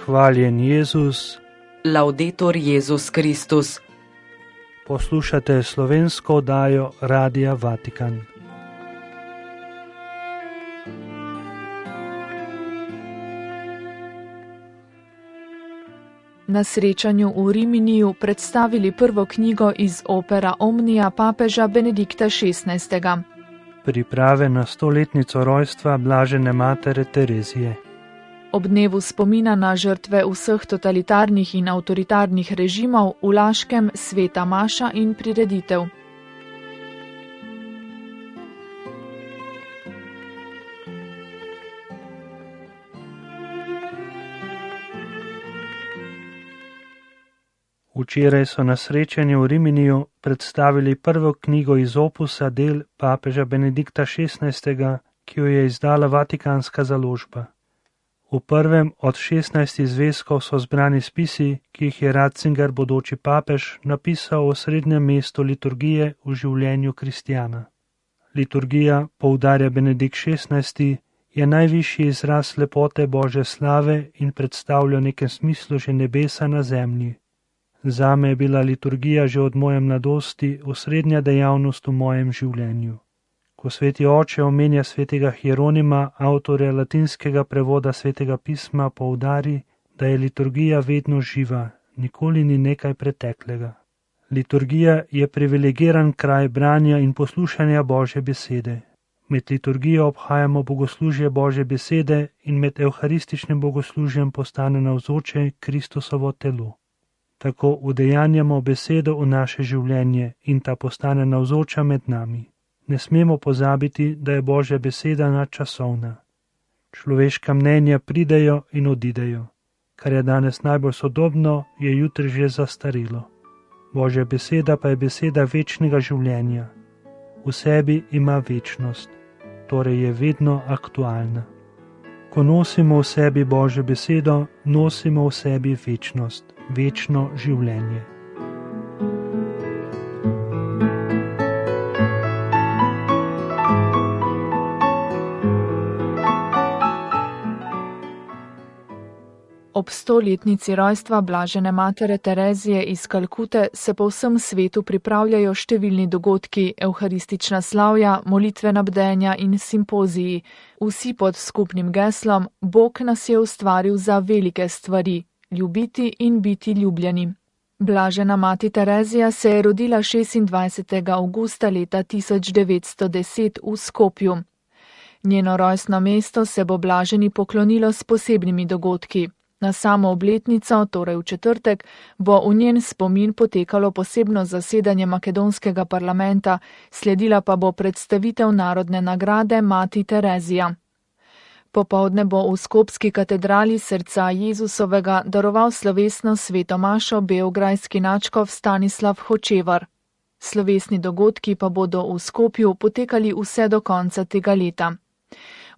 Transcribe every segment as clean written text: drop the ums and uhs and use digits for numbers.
Hvaljen Jezus. Laudetur Jezus Kristus. Poslušate slovensko oddajo Radia Vatikan. Na srečanju v Riminiju predstavili prvo knjigo iz opera Omnia papeža Benedikta XVI. Priprave na 100-letnico rojstva blažene matere Terezije. Ob dnevu spomina na žrtve vseh totalitarnih in avtoritarnih režimov v Laškem sveta maša in prireditev. Včeraj so na srečanju v Riminiju predstavili prvo knjigo iz opusa del papeža Benedikta XVI., ki jo je izdala Vatikanska založba. V prvem od 16 zvezkov so zbrani spisi, ki jih je Ratzinger, bodoči papež, napisal o srednjem mestu liturgije v življenju kristjana. Liturgija, poudarja Benedikt XVI., je najvišji izraz lepote Božje slave in predstavlja v nekem smislu že nebesa na zemlji. Zame je bila liturgija že od moje mladosti osrednja dejavnost v mojem življenju. Ko sveti oče omenja svetega Hieronima, avtorja latinskega prevoda svetega pisma, poudari, da je liturgija vedno živa, nikoli ni nekaj preteklega. Liturgija je privilegiran kraj branja in poslušanja Božje besede. Med liturgijo obhajamo bogoslužje Božje besede in med evharističnim bogoslužjem postane navzoče Kristusovo telo. Tako udejanjamo besedo v naše življenje in ta postane navzoča med nami. Ne smemo pozabiti, da je Božja beseda nadčasovna. Človeška mnenja pridejo in odidejo. Kar je danes najbolj sodobno, je jutri že zastarelo. Božja beseda pa je beseda večnega življenja. V sebi ima večnost, torej je vedno aktualna. Ko nosimo v sebi Božjo besedo, nosimo v sebi večnost, večno življenje. Ob 100-letnici rojstva blažene matere Terezije iz Kalkute se po vsem svetu pripravljajo številni dogodki, evharistična slavja, molitvena bdenja in simpoziji, vsi pod skupnim geslom Bog nas je ustvaril za velike stvari, ljubiti in biti ljubljeni. Blažena mati Terezija se je rodila 26. avgusta leta 1910 v Skopju. Njeno rojstno mesto se bo blaženi poklonilo s posebnimi dogodki. Na samo obletnico, torej v četrtek, bo v njen spomin potekalo posebno zasedanje makedonskega parlamenta, sledila pa bo predstavitev narodne nagrade Mati Terezija. Popoldne bo v skopski katedrali srca Jezusovega daroval slovesno sveto mašo beograjski nadškof Stanislav Hočevar. Slovesni dogodki pa bodo v Skopju potekali vse do konca tega leta.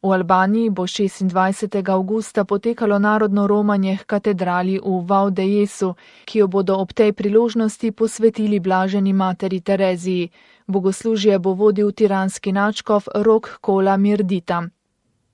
V Albaniji bo 26. avgusta potekalo narodno romanje k katedrali v Valdejesu, ki jo bodo ob tej priložnosti posvetili blaženi materi Tereziji. Bogoslužje bo vodil tiranski nadškof Rok Kola Mirdita.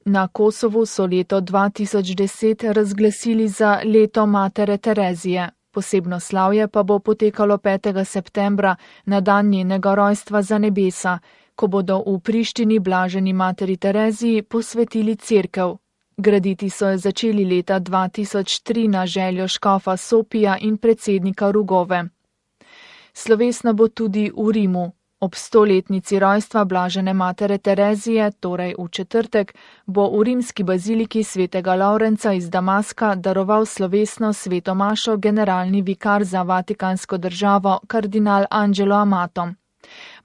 Na Kosovu so leto 2010 razglasili za leto matere Terezije. Posebno slavje pa bo potekalo 5. septembra na dan njenega rojstva za nebesa, ko bodo v Prištini blaženi materi Tereziji posvetili cerkev. Graditi so jo začeli leta 2003 na željo škofa Sopija in predsednika Rugove. Slovesna bo tudi v Rimu. Ob 100-letnici rojstva blažene matere Terezije, torej v četrtek, bo v rimski baziliki svetega Lavrenca iz Damaska daroval slovesno sveto mašo generalni vikar za Vatikansko državo kardinal Angelo Amato.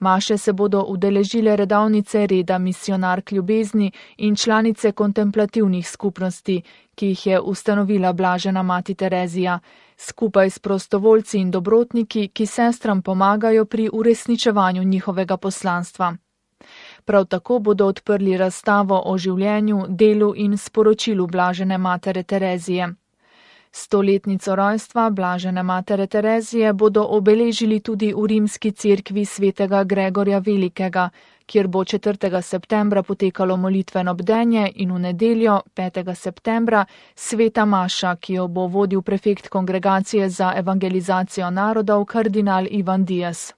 Maše se bodo udeležile redovnice reda misionark ljubezni in članice kontemplativnih skupnosti, ki jih je ustanovila blažena mati Terezija, skupaj s prostovoljci in dobrotniki, ki sestram pomagajo pri uresničevanju njihovega poslanstva. Prav tako bodo odprli razstavo o življenju, delu in sporočilu blažene matere Terezije. 100-letnico rojstva blažene matere Terezije bodo obeležili tudi v rimski cerkvi svetega Gregorja Velikega, kjer bo 4. septembra potekalo molitveno bdenje in v nedeljo, 5. septembra, sveta maša, ki jo bo vodil prefekt Kongregacije za evangelizacijo narodov kardinal Ivan Dias.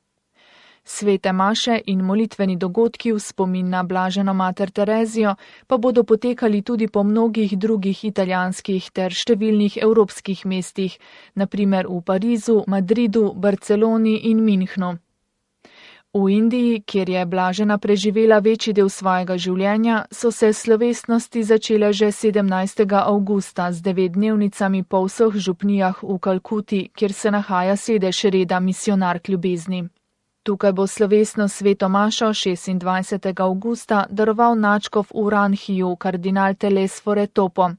Svete maše in molitveni dogodki v spomin na blaženo mater Terezijo pa bodo potekali tudi po mnogih drugih italijanskih ter številnih evropskih mestih, na primer v Parizu, Madridu, Barceloni in Münchnu. V Indiji, kjer je blažena preživela večji del svojega življenja, so se slovesnosti začele že 17. avgusta z 9-dnevnicami po vseh župnijah v Kalkuti, kjer se nahaja sedež reda Misionark ljubezni. Tukaj bo slovesno sveto mašo 26. avgusta daroval nadškof v Ranhiju kardinal Telesfore Topo.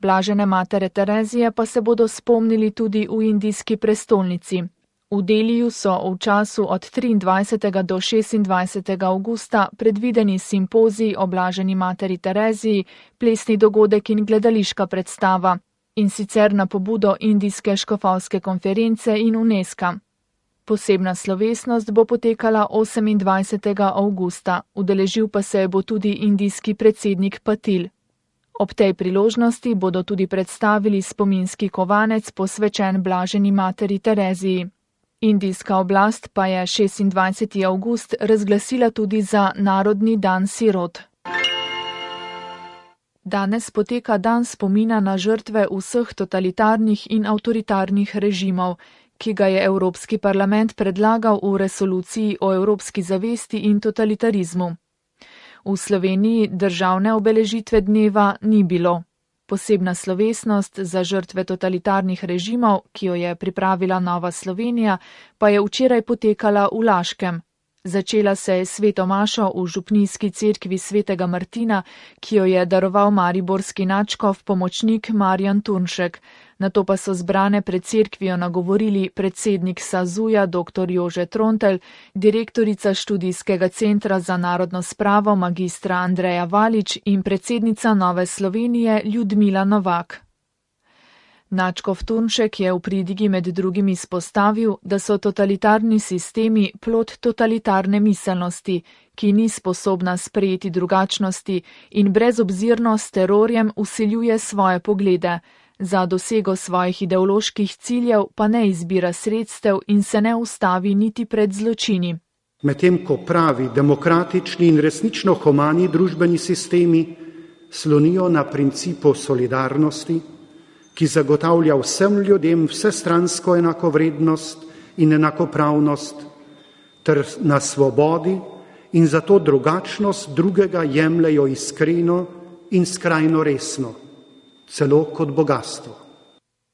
Blažene matere Terezije pa se bodo spomnili tudi v indijski prestolnici. V Deliju so v času od 23. do 26. avgusta predvideni simpozij o blaženi materi Tereziji, plesni dogodek in gledališka predstava, in sicer na pobudo Indijske škofovske konference in UNESCO. Posebna slovesnost bo potekala 28. avgusta, udeležil pa se bo tudi indijski predsednik Patil. Ob tej priložnosti bodo tudi predstavili spominski kovanec posvečen blaženi materi Tereziji. Indijska oblast pa je 26. avgust razglasila tudi za Narodni dan sirot. Danes poteka dan spomina na žrtve vseh totalitarnih in avtoritarnih režimov, ki ga je Evropski parlament predlagal v resoluciji o evropski zavesti in totalitarizmu. V Sloveniji državne obeležitve dneva ni bilo. Posebna slovesnost za žrtve totalitarnih režimov, ki jo je pripravila Nova Slovenija, pa je včeraj potekala v Laškem. Začela se je sveto mašo v župnijski cerkvi svetega Martina, ki jo je daroval mariborski nadškof pomočnik Marjan Turnšek. Nato pa so zbrane pred cerkvijo nagovorili predsednik SAZU-ja dr. Jože Trontelj, direktorica študijskega centra za narodno spravo magistra Andreja Valič in predsednica Nove Slovenije Ljudmila Novak. Nadškof Turnšek je v pridigi med drugim izpostavil, da so totalitarni sistemi plod totalitarne miselnosti, ki ni sposobna sprejeti drugačnosti in brezobzirno s terorjem vsiljuje svoje poglede. Za dosego svojih ideoloških ciljev pa ne izbira sredstev in se ne ustavi niti pred zločini. Medtem ko pravi demokratični in resnično humani družbeni sistemi slonijo na principu solidarnosti, ki zagotavlja vsem ljudem vsestransko enakovrednost in enakopravnost, ter na svobodi in zato drugačnost drugega jemljejo iskreno in skrajno resno, celo kot bogastvo.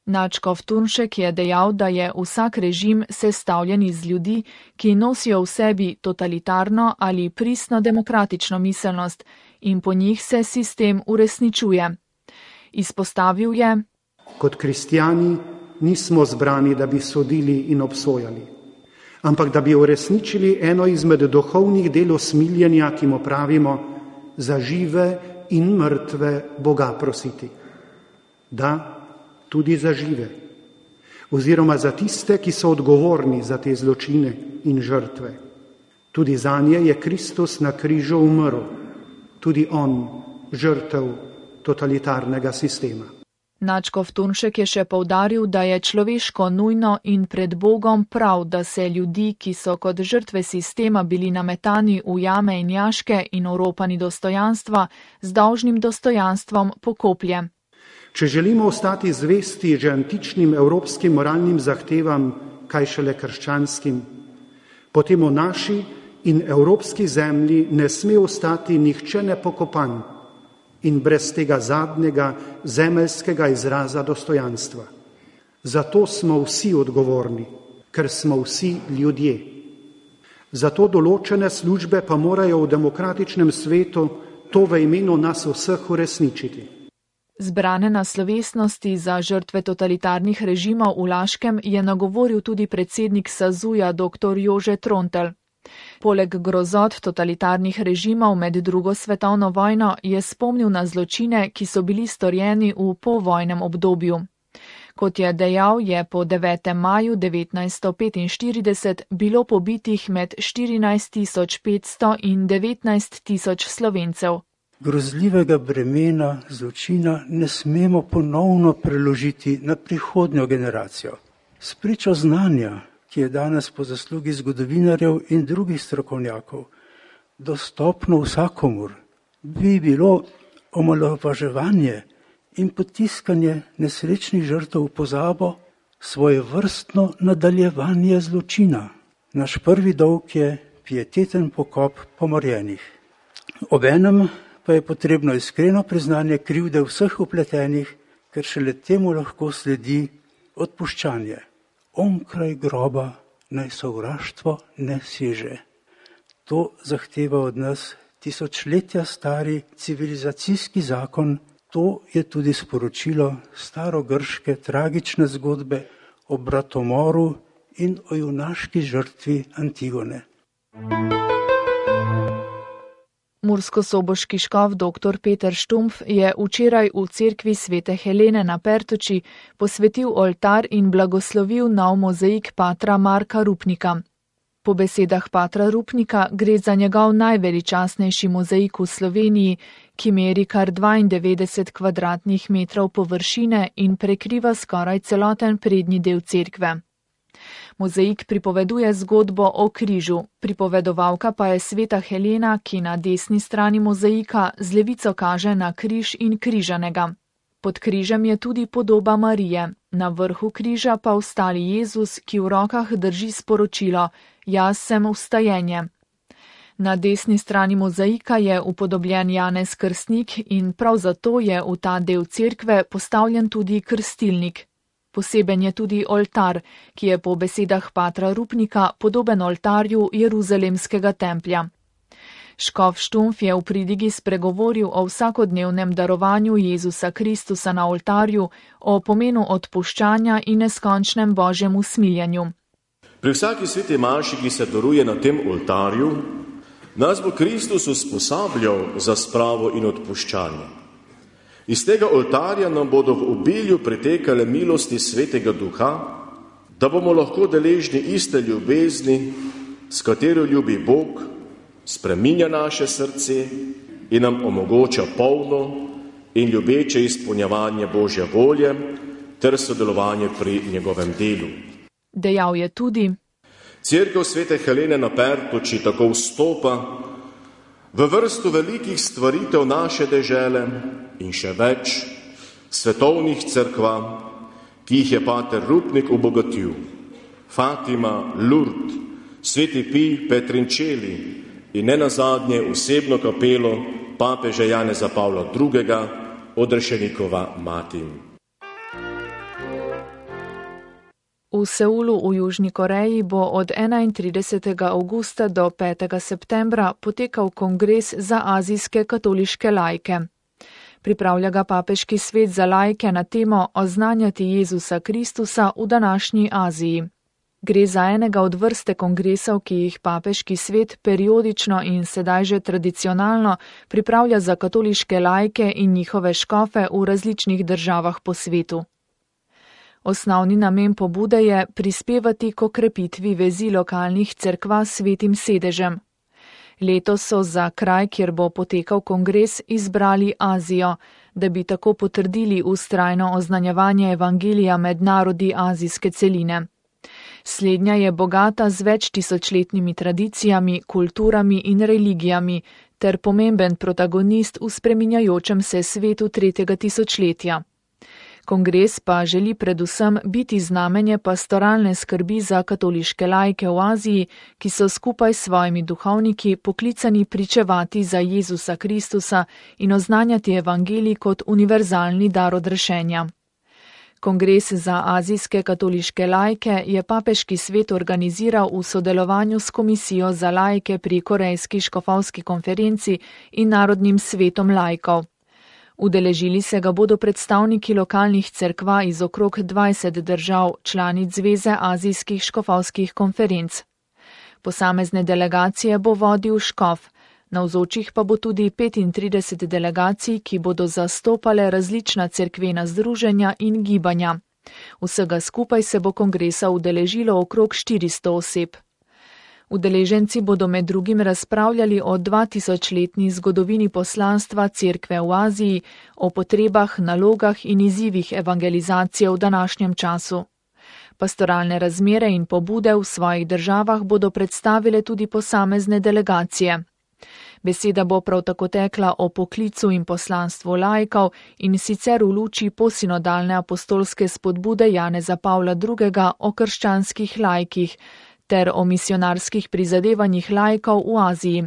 Nadškof Turnšek je dejal, da je vsak režim sestavljen iz ljudi, ki nosijo v sebi totalitarno ali pristno demokratično miselnost in po njih se sistem uresničuje. Izpostavil je: Kot kristjani nismo zbrani, da bi sodili in obsojali, ampak da bi uresničili eno izmed duhovnih del usmiljenja, ki mu pravimo za žive in mrtve Boga prositi. Da, tudi za žive, oziroma za tiste, ki so odgovorni za te zločine in žrtve. Tudi zanje je Kristus na križu umrl, tudi on, žrtev totalitarnega sistema. Nadškof Turnšek je še poudaril, da je človeško nujno in pred Bogom prav, da se ljudi, ki so kot žrtve sistema bili nametani v jame in jaške in oropani dostojanstva, z dolžnim dostojanstvom pokoplje. Če želimo ostati zvesti že antičnim evropskim moralnim zahtevam, kaj šele krščanskim, potem v naši in evropski zemlji ne sme ostati nihče nepokopan in brez tega zadnjega zemeljskega izraza dostojanstva. Zato smo vsi odgovorni, ker smo vsi ljudje. Zato določene službe pa morajo v demokratičnem svetu to v imenu nas vseh uresničiti. Zbrane na slovesnosti za žrtve totalitarnih režimov v Laškem je nagovoril tudi predsednik SAZU-ja dr. Jože Trontelj. Poleg grozot totalitarnih režimov med drugo svetovno vojno je spomnil na zločine, ki so bili storjeni v povojnem obdobju. Kot je dejal, je po 9. maju 1945 bilo pobitih med 14.500 in 19.000 Slovencev. Grozljivega bremena zločina ne smemo ponovno preložiti na prihodnjo generacijo. Spričo znanja, ki je danes po zaslugi zgodovinarjev in drugih strokovnjakov dostopno vsakomur, bi bilo omalovaževanje in potiskanje nesrečnih žrtev v pozabo svojevrstno nadaljevanje zločina. Naš prvi dolg je pieteten pokop pomorjenih. Obenem pa je potrebno iskreno priznanje krivde vseh vpletenih, ker šele temu lahko sledi odpuščanje. Onkraj groba naj sovraštvo ne seže. To zahteva od nas tisočletja stari civilizacijski zakon. To je tudi sporočilo starogrške tragične zgodbe o bratomoru in o junaški žrtvi Antigone. Murskosoboški škof dr. Peter Štumpf je včeraj v cerkvi Svete Helene na Pertuči posvetil oltar in blagoslovil nov mozaik patra Marka Rupnika. Po besedah patra Rupnika gre za njegov najveličastnejši mozaik v Sloveniji, ki meri kar 92 kvadratnih metrov površine in prekriva skoraj celoten prednji del cerkve. Mozaik pripoveduje zgodbo o križu, pripovedovalka pa je Sveta Helena, ki na desni strani mozaika z levico kaže na križ in križanega. Pod križem je tudi podoba Marije, na vrhu križa pa vstali Jezus, ki v rokah drži sporočilo: Jaz sem vstajenje. Na desni strani mozaika je upodobljen Janez Krstnik in prav zato je v ta del cerkve postavljen tudi krstilnik. Poseben je tudi oltar, ki je po besedah patra Rupnika podoben oltarju Jeruzalemskega templja. Škof Štumpf je v pridigi spregovoril o vsakodnevnem darovanju Jezusa Kristusa na oltarju, o pomenu odpuščanja in neskončnem Božjem usmiljenju. Pri vsaki sveti maši, ki se daruje na tem oltarju, nas bo Kristus usposabljal za spravo in odpuščanje. Iz tega oltarja nam bodo v obilju pritekale milosti Svetega Duha, da bomo lahko deležni iste ljubezni, s katero ljubi Bog, spreminja naše srce in nam omogoča polno in ljubeče izpolnjevanje Božje volje ter sodelovanje pri njegovem delu. Dejal je tudi: Cerkev Svete Helene na Pertuči tako vstopa v vrsto velikih stvaritev naše dežele in še več svetovnih cerkva, ki jih je pater Rupnik obogatil. Fatima, Lourdes, Sveti Pij, Petrinčeli in nenazadnje osebno kapelo papeža Janeza Pavla II. Odrešenikova mati. V Seulu v Južni Koreji bo od 31. avgusta do 5. septembra potekal kongres za azijske katoliške laike. Pripravlja ga papeški svet za laike na temo Oznanjati Jezusa Kristusa v današnji Aziji. Gre za enega od vrste kongresov, ki jih papeški svet periodično in sedaj že tradicionalno pripravlja za katoliške laike in njihove škofe v različnih državah po svetu. Osnovni namen pobude je prispevati k okrepitvi vezi lokalnih cerkva s svetim sedežem. Letos so za kraj, kjer bo potekal kongres, izbrali Azijo, da bi tako potrdili vztrajno oznanjevanje evangelija med narodi azijske celine. Slednja je bogata z več tisočletnimi tradicijami, kulturami in religijami ter pomemben protagonist v spreminjajočem se svetu 3. tisočletja. Kongres pa želi predvsem biti znamenje pastoralne skrbi za katoliške laike v Aziji, ki so skupaj s svojimi duhovniki poklicani pričevati za Jezusa Kristusa in oznanjati evangelij kot univerzalni dar odrešenja. Kongres za azijske katoliške laike je papeški svet organiziral v sodelovanju s Komisijo za laike pri Korejski škofovski konferenci in Narodnim svetom laikov. Udeležili se ga bodo predstavniki lokalnih cerkva iz okrog 20 držav, članic Zveze azijskih škofovskih konferenc. Posamezne delegacije bo vodil škof, navzočih pa bo tudi 35 delegacij, ki bodo zastopale različna cerkvena združenja in gibanja. Vsega skupaj se bo kongresa udeležilo okrog 400 oseb. Udeleženci bodo med drugim razpravljali o 2000-letni zgodovini poslanstva Cerkve v Aziji, o potrebah, nalogah in izzivih evangelizacije v današnjem času. Pastoralne razmere in pobude v svojih državah bodo predstavile tudi posamezne delegacije. Beseda bo prav tako tekla o poklicu in poslanstvu laikov in sicer v luči posinodalne apostolske spodbude Janeza Pavla II. O krščanskih laikih ter o misionarskih prizadevanjih laikov v Aziji.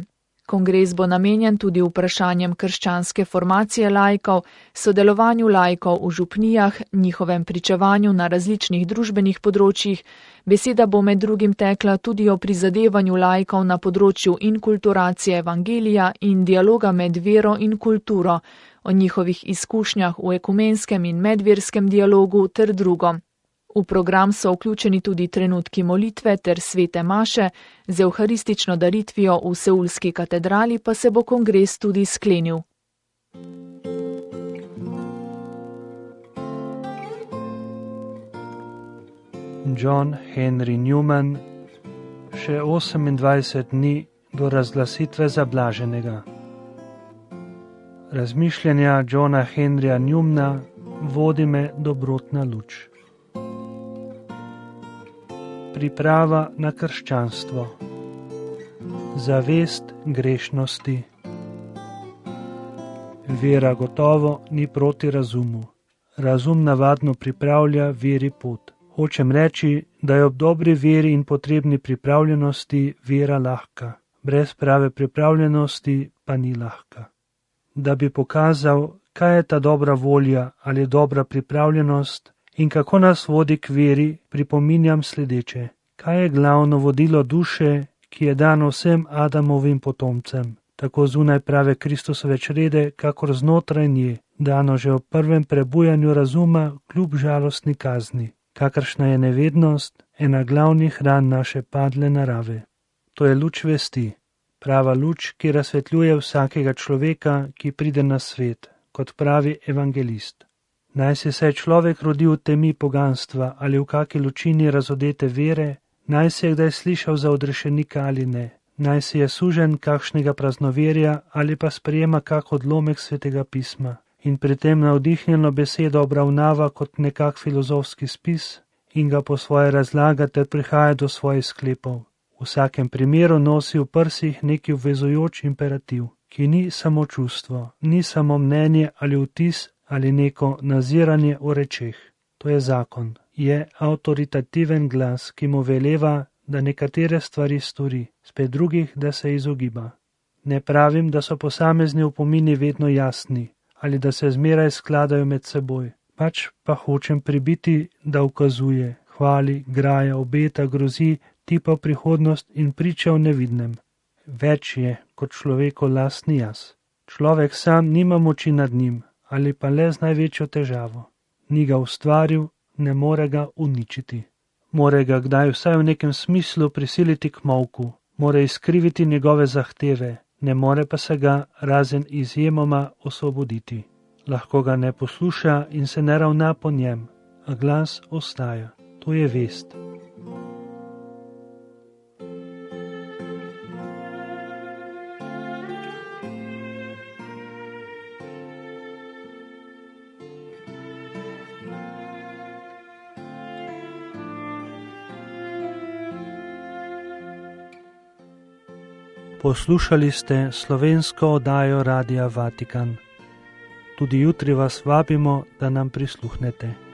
Kongres bo namenjen tudi vprašanjem krščanske formacije laikov, sodelovanju laikov v župnijah, njihovem pričevanju na različnih družbenih področjih. Beseda bo med drugim tekla tudi o prizadevanju laikov na področju inkulturacije evangelija in dialoga med vero in kulturo, o njihovih izkušnjah v ekumenskem in medverskem dialogu ter drugo. V program so vključeni tudi trenutki molitve ter svete maše, z evharistično daritvijo v seulski katedrali pa se bo kongres tudi sklenil. John Henry Newman, še 28 dni do razglasitve za blaženega. Razmišljanja Johna Henryja Newmana vodi me dobrotna luč. Priprava na krščanstvo. Zavest grešnosti. Vera gotovo ni proti razumu. Razum navadno pripravlja veri pot. Hočem reči, da je ob dobri veri in potrebni pripravljenosti vera lahka. Brez prave pripravljenosti pa ni lahka. Da bi pokazal, kaj je ta dobra volja ali dobra pripravljenost, in kako nas vodi k veri, pripominjam sledeče. Kaj je glavno vodilo duše, ki je dano vsem Adamovim potomcem, tako zunaj prave Kristusove črede, kakor znotraj nje, dano že v prvem prebujanju razuma kljub žalostni kazni, kakršna je nevednost, ena glavnih ran naše padle narave. To je luč vesti, prava luč, ki razsvetljuje vsakega človeka, ki pride na svet, kot pravi evangelist. Naj se človek rodi v temi poganstva ali v kaki lučini razodete vere, naj se je kdaj slišal za odrešenika ali ne, naj se je sužen kakšnega praznoverja ali pa sprejema kak odlomek svetega pisma in pri tem navdihnjeno besedo obravnava kot nekak filozofski spis in ga po svoje razlaga ter prihaja do svojih sklepov. V vsakem primeru nosi v prsih neki obvezujoč imperativ, ki ni samo čustvo, ni samo mnenje ali vtis, ali neko naziranje o rečeh. To je zakon. Je avtoritativen glas, ki mu veleva, da nekatere stvari stori, spet drugih, da se izogiba. Ne pravim, da so posamezni upomini vedno jasni, ali da se zmeraj skladajo med seboj. Pač pa hočem pribiti, da ukazuje, hvali, graja, obeta, grozi, tipa prihodnost in priča o nevidnem. Več je kot človekov lastni jaz. Človek sam nima moči nad njim, ali pa le z največjo težavo. Ni ga ustvaril, ne more ga uničiti. More ga kdaj vsaj v nekem smislu prisiliti k molku, more izkriviti njegove zahteve, ne more pa se ga razen izjemoma osvoboditi. Lahko ga ne posluša in se ne ravna po njem, a glas ostaja. To je vest. Poslušali ste slovensko oddajo Radia Vatikan. Tudi jutri vas vabimo, da nam prisluhnete.